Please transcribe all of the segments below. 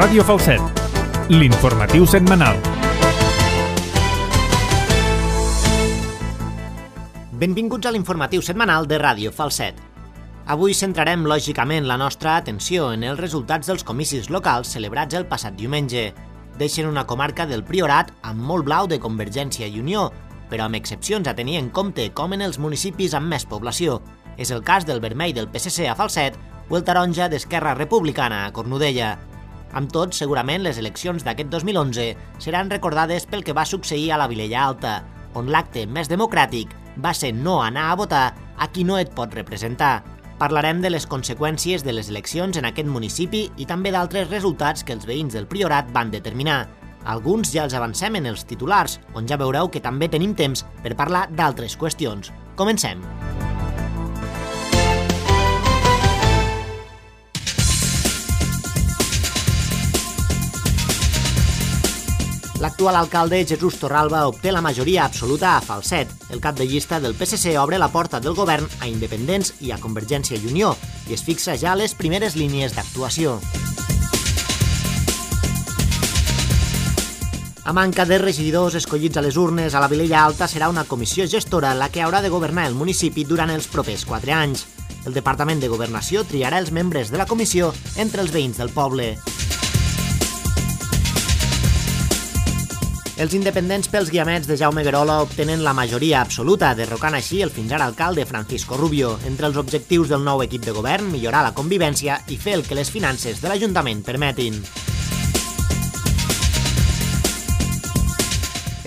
Ràdio Falset, l'informatiu setmanal. Benvinguts a l'informatiu setmanal de Ràdio Falset. Avui centrarem lògicament la nostra atenció en els resultats dels comicis locals celebrats el passat diumenge. Deixen una comarca del Priorat amb molt blau de Convergència i Unió, però amb excepcions a tenir en compte com en els municipis amb més població. És el cas del vermell del PSC a Falset o el taronja d'Esquerra Republicana a Cornudella. Amb tot, segurament les eleccions d'aquest 2011 seran recordades pel que va succeir a la Vilella Alta, on l'acte més democràtic va ser no anar a votar a qui no et pot representar. Parlarem de les conseqüències de les eleccions en aquest municipi i també d'altres resultats que els veïns del Priorat van determinar. Alguns ja els avancem en els titulars, on ja veureu que també tenim temps per parlar d'altres qüestions. Comencem! L'actual alcalde Jesús Torralba obté la majoria absoluta a Falset. El cap de llista del PSC obre la porta del govern a independents i a Convergència i Unió i es fixa ja les primeres línies d'actuació. A manca de regidors escollits a les urnes, a la Vilella Alta serà una comissió gestora la que haurà de governar el municipi durant els propers 4 anys. El Departament de Governació triarà els membres de la comissió entre els veïns del poble. Els independents pels guiamets de Jaume Guerola obtenen la majoria absoluta, derrocant així el fins ara alcalde Francisco Rubio. Entre els objectius del nou equip de govern, millorar la convivència i fer el que les finances de l'Ajuntament permetin.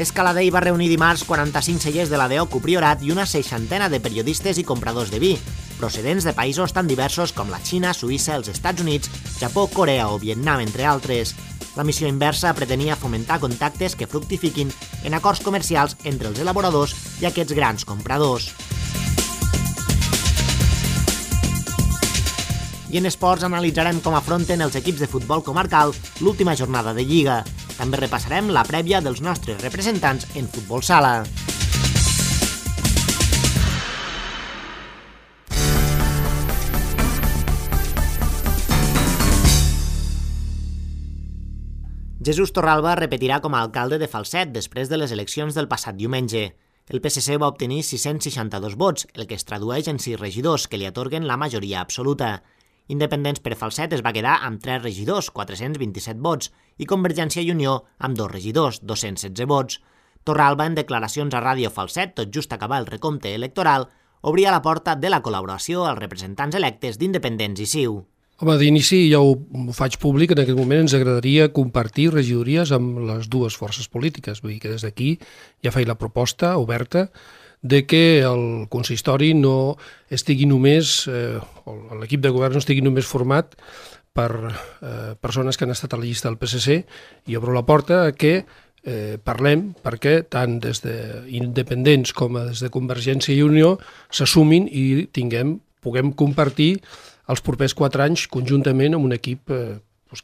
Escaladei va reunir dimarts 45 cellers de la DEOCU Priorat i una 60 de periodistes i compradors de vi, procedents de països tan diversos com la Xina, Suïssa, els Estats Units, Japó, Corea o Vietnam, entre altres. La missió inversa pretenia fomentar contactes que fructifiquin en acords comercials entre els elaboradors i aquests grans compradors. I en esports analitzarem com afronten els equips de futbol comarcal l'última jornada de Lliga. També repassarem la prèvia dels nostres representants en futbol sala. Jesús Torralba repetirà com a alcalde de Falset després de les eleccions del passat diumenge. El PSC va obtenir 662 vots, el que es tradueix en 6 regidors, que li atorguen la majoria absoluta. Independents per Falset es va quedar amb 3 regidors, 427 vots, i Convergència i Unió amb 2 regidors, 216 vots. Torralba, en declaracions a Ràdio Falset, tot just acabar el recompte electoral, obria la porta de la col·laboració als representants electes d'Independents i CiU. Home, d'inici ja ho faig públic, en aquest moment ens agradaria compartir regidories amb les dues forces polítiques, vull dir que des d'aquí ja faig la proposta oberta de que el consistori no estigui només, l'equip de govern no estigui només format per persones que han estat a la llista del PSC, i obro la porta a que parlem perquè tant des d'independents com des de Convergència i Unió s'assumin i puguem compartir els propers 4 anys conjuntament amb un equip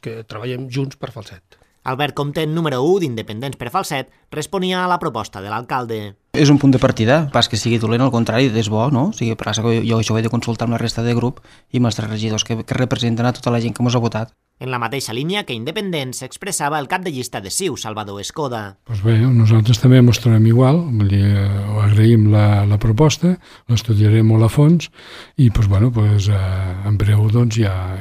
que treballem junts per Falset. Albert Comtent, número 1 d'Independents per Falset, responia a la proposta de l'alcalde. És un punt de partida, pas que sigui dolent, al contrari, és bo, no? O sigui, per això jo això ho he de consultar amb la resta de grup i amb els 3 regidors que representen a tota la gent que ens ha votat. En la mateixa línia que Independents s'expressava el cap de llista de CiU, Salvador Escoda. Doncs bé, nosaltres també mostrarem igual, agraïm la proposta, l'estudiarem molt a fons i en breu ja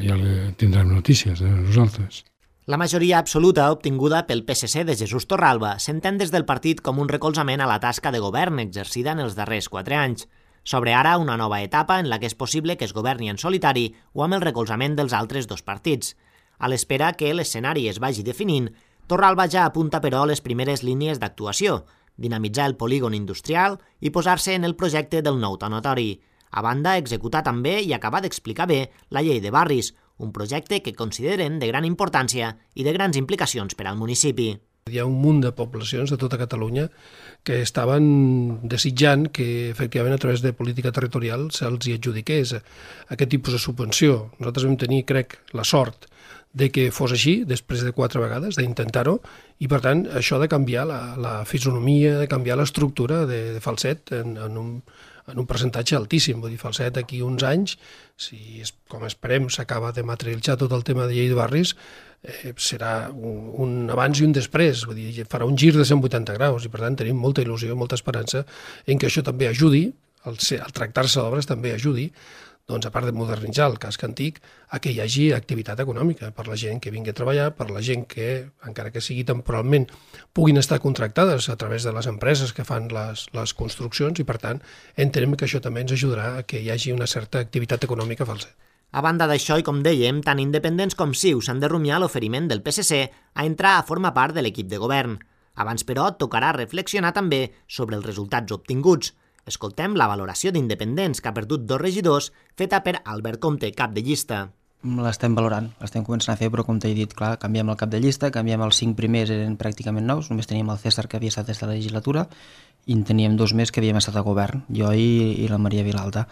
tindrem notícies de nosaltres. La majoria absoluta obtinguda pel PSC de Jesús Torralba s'entén des del partit com un recolzament a la tasca de govern exercida en els darrers 4 anys. S'obre ara una nova etapa en la que és possible que es governi en solitari o amb el recolzament dels altres 2 partits. A l'espera que l'escenari es vagi definint, Torralba ja apunta però les primeres línies d'actuació, dinamitzar el polígon industrial i posar-se en el projecte del nou tanatori. A banda, executar també i acabar d'explicar bé la llei de barris, un projecte que consideren de gran importància i de grans implicacions per al municipi. Hi ha un munt de poblacions de tota Catalunya que estaven desitjant que efectivament a través de política territorial se'ls hi adjudiqués aquest tipus de subvenció. Nosaltres vam tenir, crec, la sort de que fos així, després de 4 vegades, d'intentar-ho, i per tant això de canviar la fisonomia, de canviar l'estructura de Falset en en un percentatge altíssim. Vull dir, Falset, d'aquí uns anys, si com esperem s'acaba de materialitzar tot el tema de llei de barris, serà un abans i un després, vull dir, farà un gir de 180 graus i per tant tenim molta il·lusió i molta esperança en que això també ajudi, al tractar-se d'obres també ajudi, doncs, a part de modernitzar el casc antic, a que hi hagi activitat econòmica per la gent que vingui a treballar, per la gent que, encara que sigui temporalment, puguin estar contractades a través de les empreses que fan les construccions i, per tant, entenem que això també ens ajudarà a que hi hagi una certa activitat econòmica a Falset. A banda d'això, i com dèiem, tant independents com CiU s'han de rumiar l'oferiment del PSC a entrar a formar part de l'equip de govern. Abans, però, tocarà reflexionar també sobre els resultats obtinguts. Escoltem la valoració d'independents que ha perdut 2 regidors feta per Albert Comte, cap de llista. L'estem valorant, l'estem començant a fer, però com t'he dit, clar, canviem el cap de llista, canviem els 5 primers, eren pràcticament nous, només teníem el César que havia estat des de la legislatura i en teníem 2 més que havíem estat a govern, jo i la Maria Vilalta.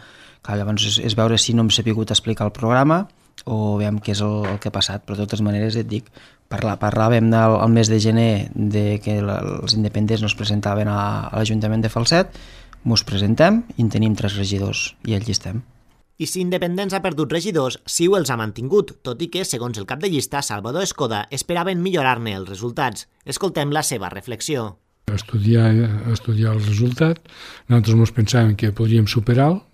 Clar, llavors és veure si no hem sabut explicar el programa o veiem què és el que ha passat, però de totes maneres et dic, parlàvem el mes de gener de que els independents no es presentaven a l'Ajuntament de Falset, mos presentem i en tenim 3 regidors i allí estem. I si Independents ha perdut regidors, CiU els ha mantingut, tot i que, segons el cap de llista, Salvador Escoda, esperaven millorar-ne els resultats. Escoltem la seva reflexió. Estudiar el resultat. Nosaltres ens pensàvem que podríem superar-lo,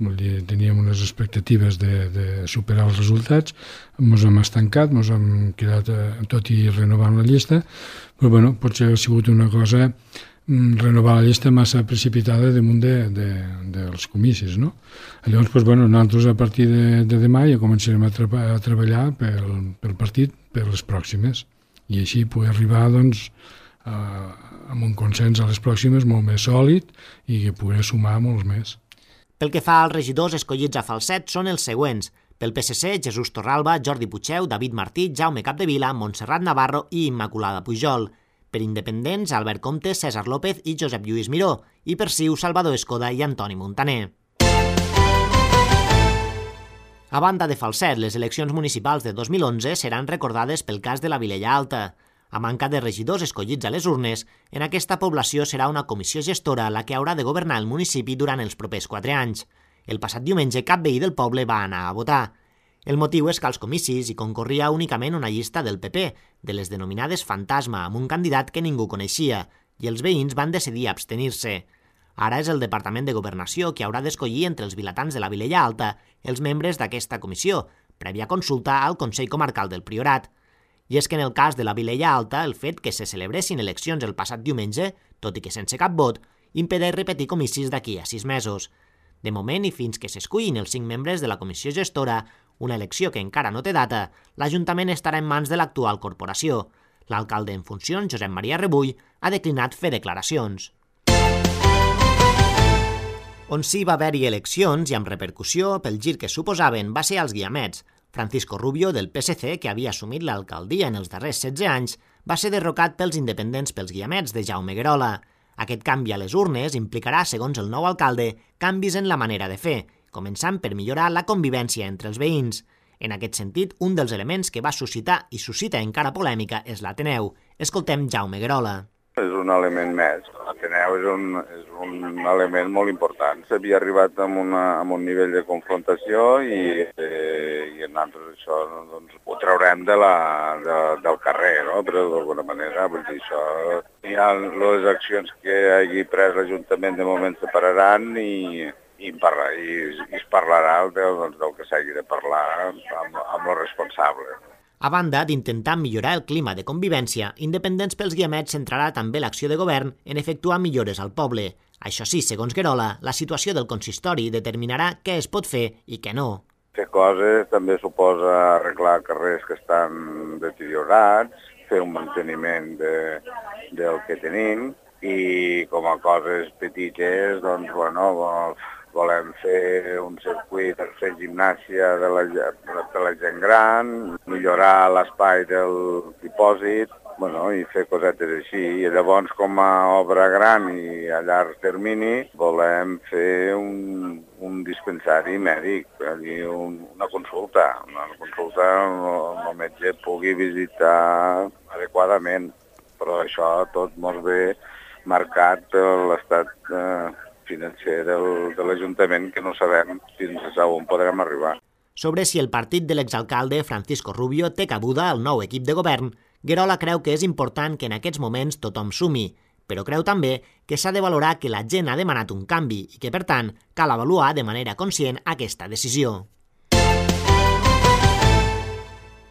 teníem unes expectatives de superar els resultats, ens hem estancat, ens hem quedat tot i renovant la llista, però bueno, potser ha sigut una cosa renovar la llista massa precipitada damunt dels comicis, no? Llavors, doncs, bueno, nosaltres a partir de demà ja començarem a treballar pel partit per les pròximes i així poder arribar, doncs, amb un consens a les pròximes molt més sòlid i que poder sumar molts més. Pel que fa als regidors escollits a Falset són els següents. Pel PSC, Jesús Torralba, Jordi Puigdeu, David Martí, Jaume Capdevila, Montserrat Navarro i Immaculada Pujol. Per independents, Albert Comte, César López i Josep Lluís Miró, i per CiU, Salvador Escoda i Antoni Montaner. A banda de Falset, les eleccions municipals de 2011 seran recordades pel cas de la Vilella Alta. A manca de regidors escollits a les urnes, en aquesta població serà una comissió gestora la que haurà de governar el municipi durant els propers 4 anys. El passat diumenge, cap veí del poble va anar a votar. El motiu és que als comicis hi concorria únicament una llista del PP, de les denominades fantasma, amb un candidat que ningú coneixia, i els veïns van decidir abstenir-se. Ara és el Departament de Governació qui haurà d'escollir entre els vilatans de la Vilella Alta els membres d'aquesta comissió, prèvia consulta al Consell Comarcal del Priorat. I és que en el cas de la Vilella Alta, el fet que se celebressin eleccions el passat diumenge, tot i que sense cap vot, impedeix repetir comicis d'aquí a 6 mesos. De moment, i fins que s'escullin els 5 membres de la comissió gestora, una elecció que encara no té data, l'Ajuntament estarà en mans de l'actual corporació. L'alcalde en funcions, Josep Maria Rebull, ha declinat fer declaracions. On sí va haver-hi eleccions i amb repercussió pel gir que suposaven va ser als Guiamets. Francisco Rubio, del PSC, que havia assumit l'alcaldia en els darrers 16 anys, va ser derrocat pels independents pels Guiamets de Jaume Guerola. Aquest canvi a les urnes implicarà, segons el nou alcalde, canvis en la manera de fer, començant per millorar la convivència entre els veïns. En aquest sentit, un dels elements que va suscitar i suscita encara polèmica és l'Ateneu. Escoltem Jaume Guerola. És un element més. L'Ateneu és un element molt important. S'havia arribat a un nivell de confrontació i nosaltres això doncs, ho traurem del carrer, no? Però d'alguna manera, vull dir, això... Hi ha les accions que hagi pres l'Ajuntament de moment se pararan i es parlarà del que s'hagi de parlar amb els responsables. A banda d'intentar millorar el clima de convivència, Independents pels Guiamets centrarà també l'acció de govern en efectuar millores al poble. Això sí, segons Guerola, la situació del consistori determinarà què es pot fer i què no. Fer coses també suposa arreglar carrers que estan deteriorats, fer un manteniment del que tenim i com a coses petites, doncs, bueno, volem fer un circuit per fer gimnàsia de la gent gran, millorar l'espai del dipòsit, bueno, i fer cosetes així. I llavors, com a obra gran i a llarg termini, volem fer un dispensari mèdic, una consulta on el metge pugui visitar adequadament. Però això tot molt bé marcat per l'estat financer de l'Ajuntament, que no sabem fins a on podrem arribar. Sobre si el partit de l'exalcalde Francisco Rubio té cabuda al nou equip de govern, Guerola creu que és important que en aquests moments tothom sumi, però creu també que s'ha de valorar que la gent ha demanat un canvi i que, per tant, cal avaluar de manera conscient aquesta decisió.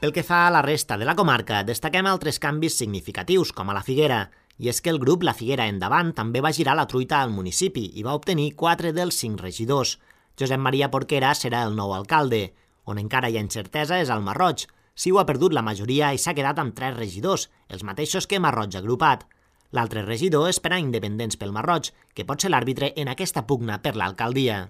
Pel que fa a la resta de la comarca, destaquem altres canvis significatius, com a la Figuera, i és que el grup La Figuera Endavant també va girar la truita al municipi i va obtenir 4 dels 5 regidors. Josep Maria Porquera serà el nou alcalde. On encara hi ha incertesa és al Masroig. Siu ha perdut la majoria i s'ha quedat amb 3 regidors, els mateixos que Masroig agrupat. L'altre regidor és per a Independents pel Masroig, que pot ser l'àrbitre en aquesta pugna per l'alcaldia.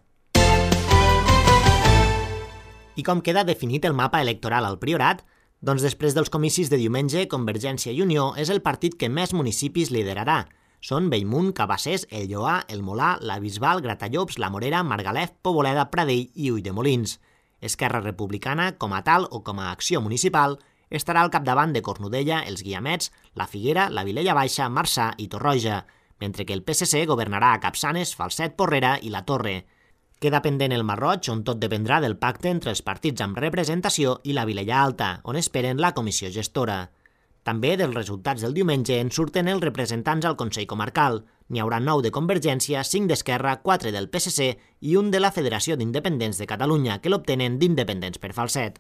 I com queda definit el mapa electoral al Priorat? Doncs després dels comicis de diumenge, Convergència i Unió és el partit que més municipis liderarà. Són Bellmunt, Cabassers, El Lloar, El Molar, la Bisbal, Gratallops, la Morera, Margalef, Poboleda, Pradell i Ulldemolins. Esquerra Republicana, com a tal o com a acció municipal, estarà al capdavant de Cornudella, els Guiamets, la Figuera, la Vilella Baixa, Marçà i Torroja, mentre que el PSC governarà a Capçanes, Falset, Porrera i la Torre. Queda pendent el Masroig, on tot dependrà del pacte entre els partits amb representació i la Vilella Alta, on esperen la comissió gestora. També dels resultats del diumenge en surten els representants al Consell Comarcal. N'hi haurà 9 de Convergència, 5 d'Esquerra, 4 del PSC i un de la Federació d'Independents de Catalunya, que l'obtenen d'Independents per Falset.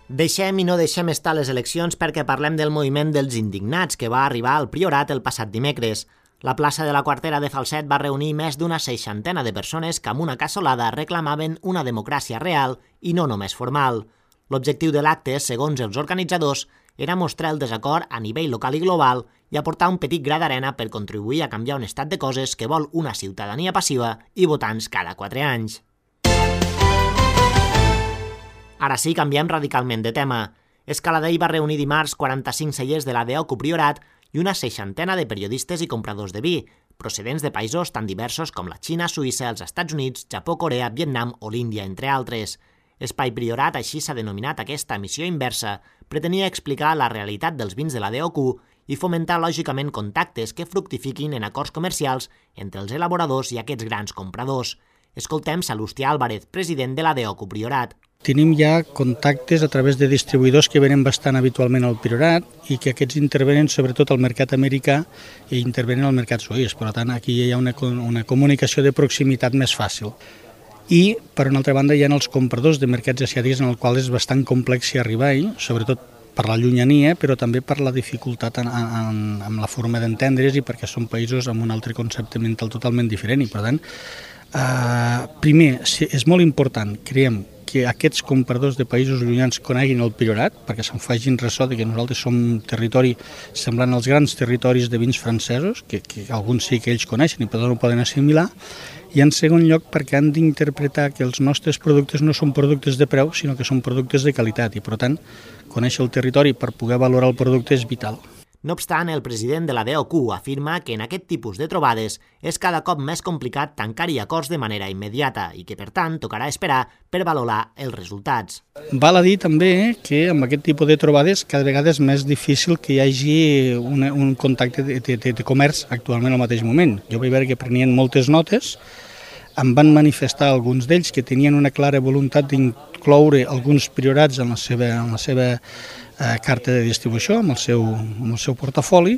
Deixem i no deixem estar les eleccions perquè parlem del moviment dels indignats que va arribar al Priorat el passat dimecres. La plaça de la Quartera de Falset va reunir més d'una 60 de persones que amb una cassolada reclamaven una democràcia real i no només formal. L'objectiu de l'acte, segons els organitzadors, era mostrar el desacord a nivell local i global i aportar un petit gra d'arena per contribuir a canviar un estat de coses que vol una ciutadania passiva i votants cada 4 anys. Ara sí, canviem radicalment de tema. Escaladell va reunir dimarts 45 cellers de la DEOCU Priorat i una 60 de periodistes i compradors de vi, procedents de països tan diversos com la Xina, Suïssa, els Estats Units, Japó, Corea, Vietnam o l'Índia, entre altres. Espai Priorat, així s'ha denominat aquesta missió inversa, pretenia explicar la realitat dels vins de la DEOCU i fomentar lògicament contactes que fructifiquin en acords comercials entre els elaboradors i aquests grans compradors. Escoltem Salustià Álvarez, president de la DEOCU Priorat. Tenim ja contactes a través de distribuïdors que venen bastant habitualment al Priorat i que aquests intervenen sobretot al mercat americà i intervenen al mercat suís. Per tant, aquí hi ha una comunicació de proximitat més fàcil. I, per una altra banda, hi ha els compradors de mercats asiàtics en el qual és bastant complex arribar-hi, sobretot per la llunyania, però també per la dificultat en la forma d'entendre's i perquè són països amb un altre concepte mental totalment diferent. I, per tant, primer, és molt important, creiem, que aquests compradors de països llunyans coneguin el Priorat, perquè se'n facin ressò de que nosaltres som un territori semblant als grans territoris de vins francesos, que alguns sí que ells coneixen i per tant ho poden assimilar, i en segon lloc perquè han d'interpretar que els nostres productes no són productes de preu, sinó que són productes de qualitat, i per tant, conèixer el territori per poder valorar el producte és vital. No obstant, el president de la DEOCU afirma que en aquest tipus de trobades és cada cop més complicat tancar-hi acords de manera immediata i que, per tant, tocarà esperar per valorar els resultats. Val a dir també que amb aquest tipus de trobades cada vegada és més difícil que hi hagi un contacte de comerç actualment al mateix moment. Jo vaig veure que prenien moltes notes, em van manifestar alguns d'ells que tenien una clara voluntat d'incloure alguns priorats en la seva carta de distribució, amb el seu portafoli,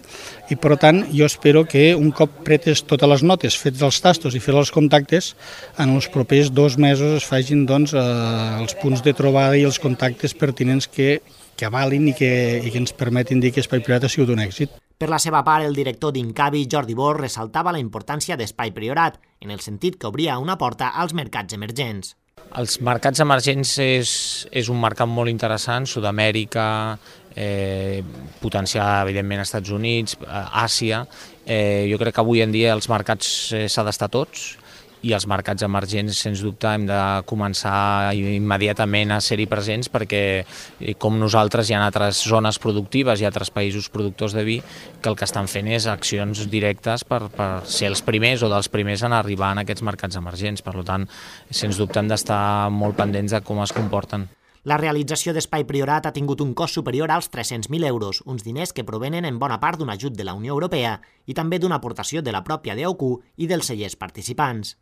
i per tant jo espero que un cop pretes totes les notes, fets els tastos i fets els contactes, en els propers 2 mesos es facin els punts de trobada i els contactes pertinents que avalin i que ens permetin dir que Espai Priorat ha sigut un èxit. Per la seva part, el director d'Incavi, Jordi Bor, ressaltava la importància d'Espai Priorat, en el sentit que obria una porta als mercats emergents. Els mercats emergents és un mercat molt interessant, Sud-amèrica, potenciar evidentment als Estats Units, Àsia. Jo crec que avui en dia els mercats s'ha d'estar tots i els mercats emergents, sens dubte, hem de començar immediatament a ser-hi presents perquè, com nosaltres, hi ha altres zones productives i altres països productors de vi que el que estan fent és accions directes per ser els primers o dels primers en arribar en aquests mercats emergents. Per tant, sens dubte, hem d'estar molt pendents de com es comporten. La realització d'Espai Priorat ha tingut un cost superior als 300.000 euros, uns diners que provenen en bona part d'un ajut de la Unió Europea i també d'una aportació de la pròpia DOQ i dels cellers participants.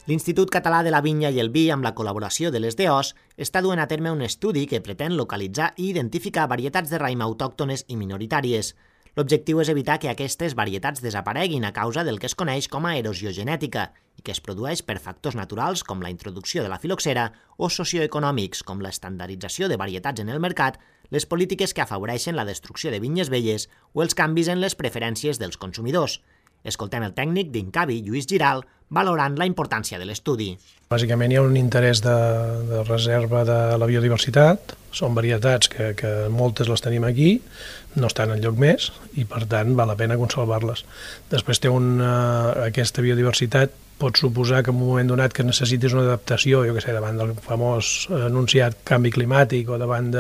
L'Institut Català de la Vinya i el Vi, amb la col·laboració de les DOs, està duent a terme un estudi que pretén localitzar i identificar varietats de raïm autòctones i minoritàries. L'objectiu és evitar que aquestes varietats desapareguin a causa del que es coneix com a erosió genètica i que es produeix per factors naturals com la introducció de la filoxera o socioeconòmics com l'estandardització de varietats en el mercat, les polítiques que afavoreixen la destrucció de vinyes velles o els canvis en les preferències dels consumidors. Escoltem el tècnic d'Incavi, Lluís Giral, valorant la importància de l'estudi. Bàsicament hi ha un interès de reserva de la biodiversitat, són varietats que moltes les tenim aquí, no estan enlloc més i per tant val la pena conservar-les. Després aquesta biodiversitat pot suposar que en un moment donat que necessitis una adaptació, jo què sé, davant del famós anunciat canvi climàtic o davant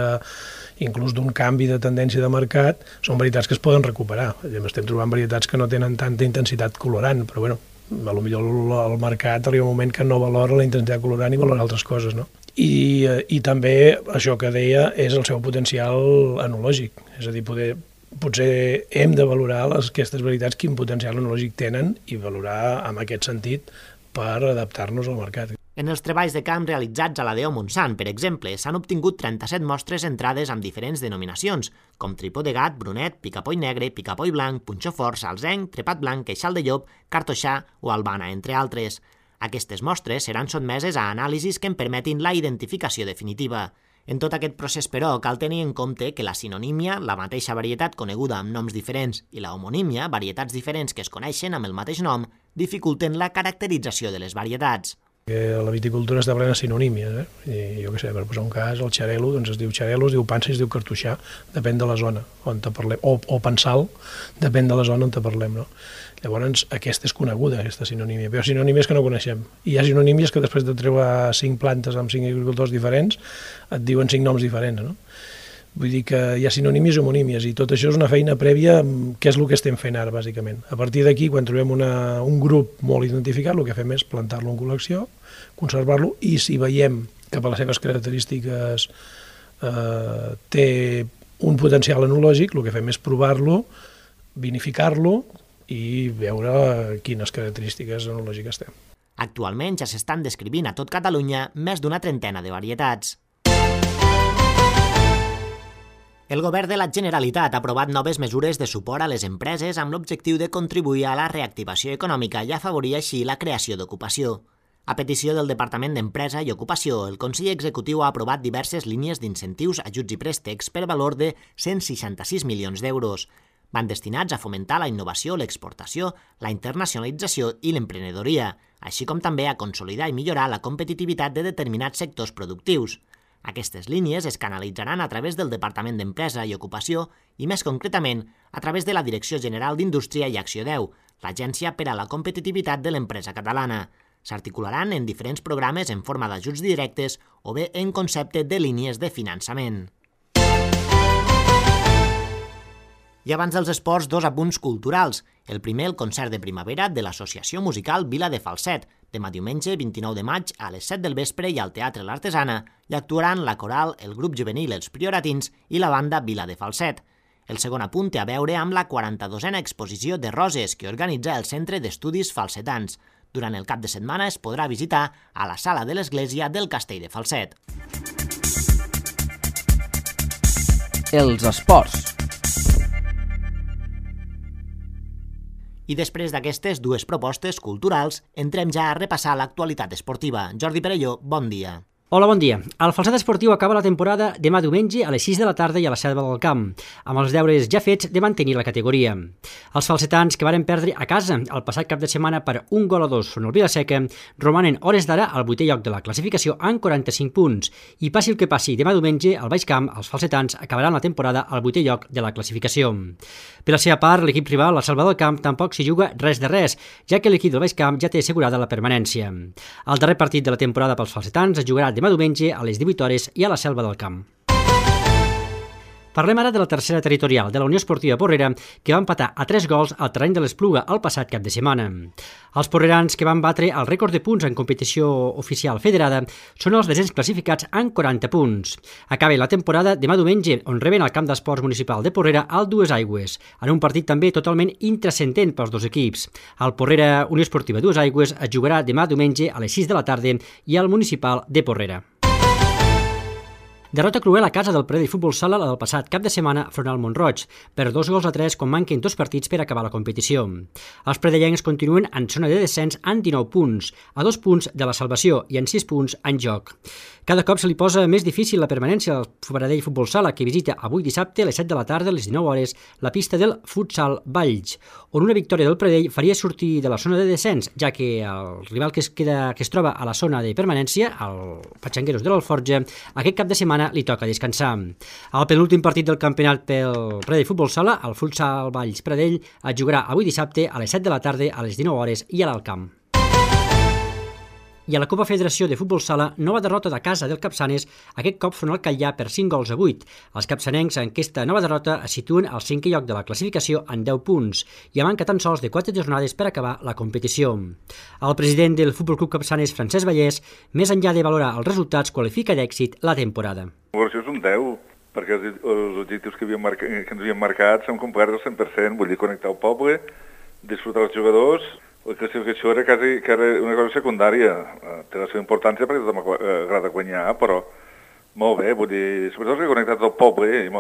inclús d'un canvi de tendència de mercat, són varietats que es poden recuperar. Estem trobant varietats que no tenen tanta intensitat colorant, però bueno, potser el mercat arriba un moment que no valora la intensitat colorant i valora altres coses, no? I també això que deia és el seu potencial enològic, és a dir, potser hem de valorar aquestes varietats quin potencial enològic tenen i valorar en aquest sentit per adaptar-nos al mercat. En els treballs de camp realitzats a la DO Montsant, per exemple, s'han obtingut 37 mostres entrades amb diferents denominacions, com tripó de gat, brunet, picapoll negre, picapoll blanc, punxó fort, salzenc, trepat blanc, queixal de llop, cartoixà o albana, entre altres. Aquestes mostres seran sotmeses a anàlisis que en permetin la identificació definitiva. En tot aquest procés, però, cal tenir en compte que la sinonímia, la mateixa varietat coneguda amb noms diferents, i la homonímia, varietats diferents que es coneixen amb el mateix nom, dificulten la caracterització de les varietats. La viticultura està plena de sinonímies, I jo què sé, per posar un cas, el xarel·lo, doncs es diu xarel·lo, es diu pansa i es diu cartoixà, depèn de la zona on te parlem, o pensal, depèn de la zona on te parlem, no? Llavors, aquesta és coneguda, aquesta sinonímia, però sinonímies que no coneixem. I hi ha sinonímies que després de treure 5 plantes amb 5 agricultors diferents, et diuen 5 noms diferents, no? Vull dir que hi ha sinonímies i homonímies i tot això és una feina prèvia, que és el que estem fent ara, bàsicament. A partir d'aquí, quan trobem un grup molt identificat, el que fem és plantar-lo en col·lecció, conservar-lo i si veiem que per les seves característiques té un potencial enològic, el que fem és provar-lo, vinificar-lo i veure quines característiques enològiques té. Actualment ja s'estan descrivint a tot Catalunya més d'una trentena de varietats. El Govern de la Generalitat ha aprovat noves mesures de suport a les empreses amb l'objectiu de contribuir a la reactivació econòmica i afavorir així la creació d'ocupació. A petició del Departament d'Empresa i Ocupació, el Consell Executiu ha aprovat diverses línies d'incentius, ajuts i préstecs per valor de 166 milions d'euros. Van destinats a fomentar la innovació, l'exportació, la internacionalització i l'emprenedoria, així com també a consolidar i millorar la competitivitat de determinats sectors productius. Aquestes línies es canalitzaran a través del Departament d'Empresa i Ocupació i, més concretament, a través de la Direcció General d'Indústria i Acció 10, l'Agència per a la Competitivitat de l'Empresa Catalana. S'articularan en diferents programes en forma d'ajuts directes o bé en concepte de línies de finançament. I abans dels esports, 2 apunts culturals. El primer, el concert de primavera de l'Associació Musical Vila de Falset, demà diumenge 29 de maig a les 7 del vespre i al Teatre L'Artesana, i actuaran la coral, el grup juvenil Els Prioratins i la banda Vila de Falset. El segon apunt té a veure amb la 42a exposició de roses que organitza el Centre d'Estudis Falsetans. Durant el cap de setmana es podrà visitar a la sala de l'església del Castell de Falset. Els esports. I després d'aquestes 2 propostes culturals, entrem ja a repassar l'actualitat esportiva. Jordi Perelló, bon dia. Hola, bon dia. El Falset Esportiu acaba la temporada demà diumenge a les 6 de la tarda i a la Selva del Camp, amb els deures ja fets de mantenir la categoria. Els falsetans, que varen perdre a casa el passat cap de setmana per 1-2 front al Vila-seca, romanen hores d'ara al 8è lloc de la classificació amb 45 punts, i passi el que passi demà diumenge al Baix Camp, els falsetans acabaran la temporada al 8è lloc de la classificació. Per la seva part, l'equip rival, la Selva del Camp, tampoc s'hi juga res de res, ja que l'equip del Baix Camp ja té assegurada la permanència. El darrer partit de la temporada pels falsetans es jugarà demà diumenge a les 18 hores i a la Selva del Camp. Parlem ara de la tercera territorial, de la Unió Esportiva Porrera, que va empatar a 3 gols al terreny de l'Espluga el passat cap de setmana. Els porrerans que van batre el rècord de punts en competició oficial federada són els desens classificats amb 40 punts. Acaba la temporada demà diumenge, on reben al camp d'esports municipal de Porrera el Dues Aigües, en un partit també totalment intrascendent pels dos equips. El Porrera Unió Esportiva Dues Aigües es jugarà demà diumenge a les 6 de la tarda i al municipal de Porrera. Derrota cruel a casa del Pradell Futbol Sala del passat cap de setmana front al Mont-roig, per 2-3 quan manquen 2 partits per acabar la competició. Els pradellencs continuen en zona de descens amb 19 punts, a 2 punts de la salvació i en 6 punts en joc. Cada cop se li posa més difícil la permanència al Pradell Futbol Sala, que visita avui dissabte a les 7 de la tarda a les 19 hores la pista del Futsal Valls, on una victòria del Pradell faria sortir de la zona de descens, ja que el rival que es troba a la zona de permanència, el Patxangueros de l'Alforja, aquest cap de setmana li toca descansar. El penúltim partit del campionat pel Pradell Futbol Sala, el Futsal Valls Pradell, es jugarà avui dissabte a les 7 de la tarda a les 19 hores i a l'Alt Camp. I a la Copa Federació de Futbol Sala, nova derrota de casa del Capçanes, aquest cop front al Catllà per 5-8. Els capçanencs en aquesta nova derrota es situen al 5è lloc de la classificació en 10 punts i a manca tan sols de 4 jornades per acabar la competició. El president del Futbol Club Capçanes, Francesc Vallès, més enllà de valorar els resultats, qualifica d'èxit la temporada. Això és un 10, perquè els objectius que ens havíem marcat s'han complert al 100%, vull dir, connectar el poble, disfrutar els jugadors. La classificació era quasi una cosa secundària, té la seva importància perquè tothom agrada guanyar, però molt bé, vull dir, sobretot reconnectat el poble i hem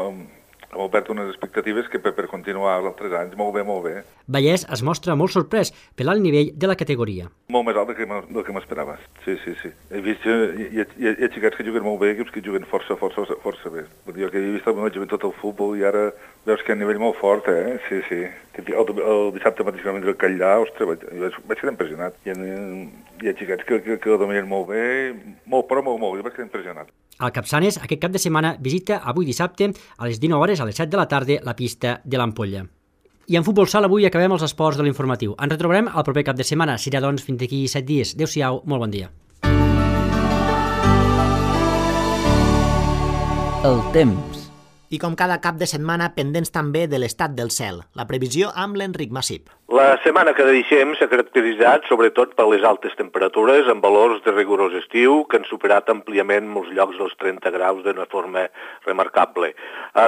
obert unes expectatives que per continuar els altres anys, molt bé. Vallès es mostra molt sorprès per l'alt nivell de la categoria. Molt més alt del que m'esperava, sí. He vist hi ha xicats que juguen molt bé, equips que juguen força bé. Vull dir, que he vist juguen tot el futbol i ara veus que hi ha un nivell molt fort, sí. El dissabte mateix que vam vindre al Catllà, ostres, vaig quedar impressionat. Hi ha xicats que ho dominen molt bé, molt bé, vaig quedar impressionat. El Capçanes aquest cap de setmana visita avui dissabte a les 19 hores a les 7 de la tarda la pista de l'Ampolla. I en Futbol Sala avui acabem els esports de l'informatiu. Ens retrobarem el proper cap de setmana. Serà doncs fins d'aquí 7 dies. Adéu-siau, molt bon dia. El temps. I com cada cap de setmana, pendents també de l'estat del cel. La previsió amb l'Enric Massip. La setmana que deixem s'ha caracteritzat sobretot per les altes temperatures amb valors de rigorós estiu que han superat àmpliament molts llocs dels 30 graus d'una forma remarcable.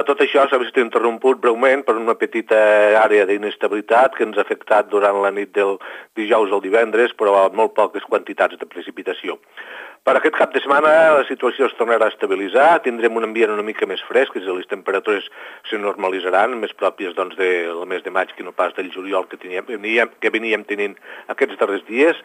Tot això s'ha vist interromput breument per una petita àrea d'inestabilitat que ens ha afectat durant la nit del dijous al divendres, però amb molt poques quantitats de precipitació. Per aquest cap de setmana la situació es tornarà a estabilitzar, tindrem un ambient una mica més fresc, és a dir, les temperatures se normalitzaran, més pròpies del mes de maig que no pas del juliol que veníem tenint aquests darrers dies,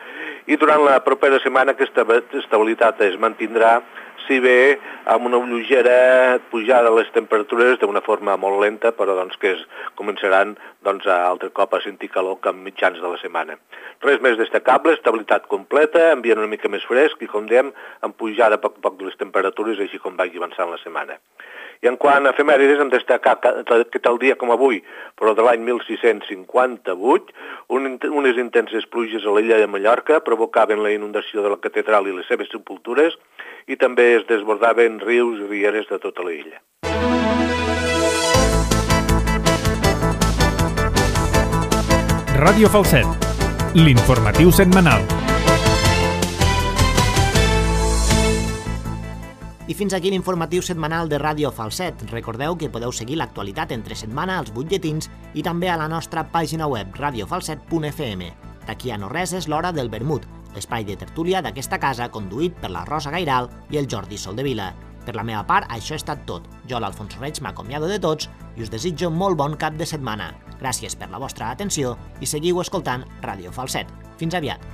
i durant la propera setmana aquesta estabilitat es mantindrà, si bé amb una lleugera pujada de les temperatures d'una forma molt lenta, però que es començaran altre cop a sentir calor cap mitjans de la setmana. Res més destacable, estabilitat completa, ambient una mica més fresc i, com dèiem, amb pujada a poc a poc de les temperatures, així com vagi avançant la setmana. I en quant a efemèrides, hem destacar que tal dia com avui, però de l'any 1658, unes intenses pluges a l'illa de Mallorca provocaven la inundació de la catedral i les seves sepultures i també es desbordaven rius i rieres de tota l'illa. Ràdio Falset, l'informatiu setmanal. I fins aquí l'informatiu setmanal de Ràdio Falset. Recordeu que podeu seguir l'actualitat entre setmana als butlletins i també a la nostra pàgina web radiofalset.fm. D'aquí a no res és l'hora del vermut, l'espai de tertúlia d'aquesta casa conduït per la Rosa Gairal i el Jordi Soldevila. Per la meva part, això ha estat tot. Jo, l'Alfonso Reig, m'acomiado de tots i us desitjo molt bon cap de setmana. Gràcies per la vostra atenció i seguiu escoltant Ràdio Falset. Fins aviat.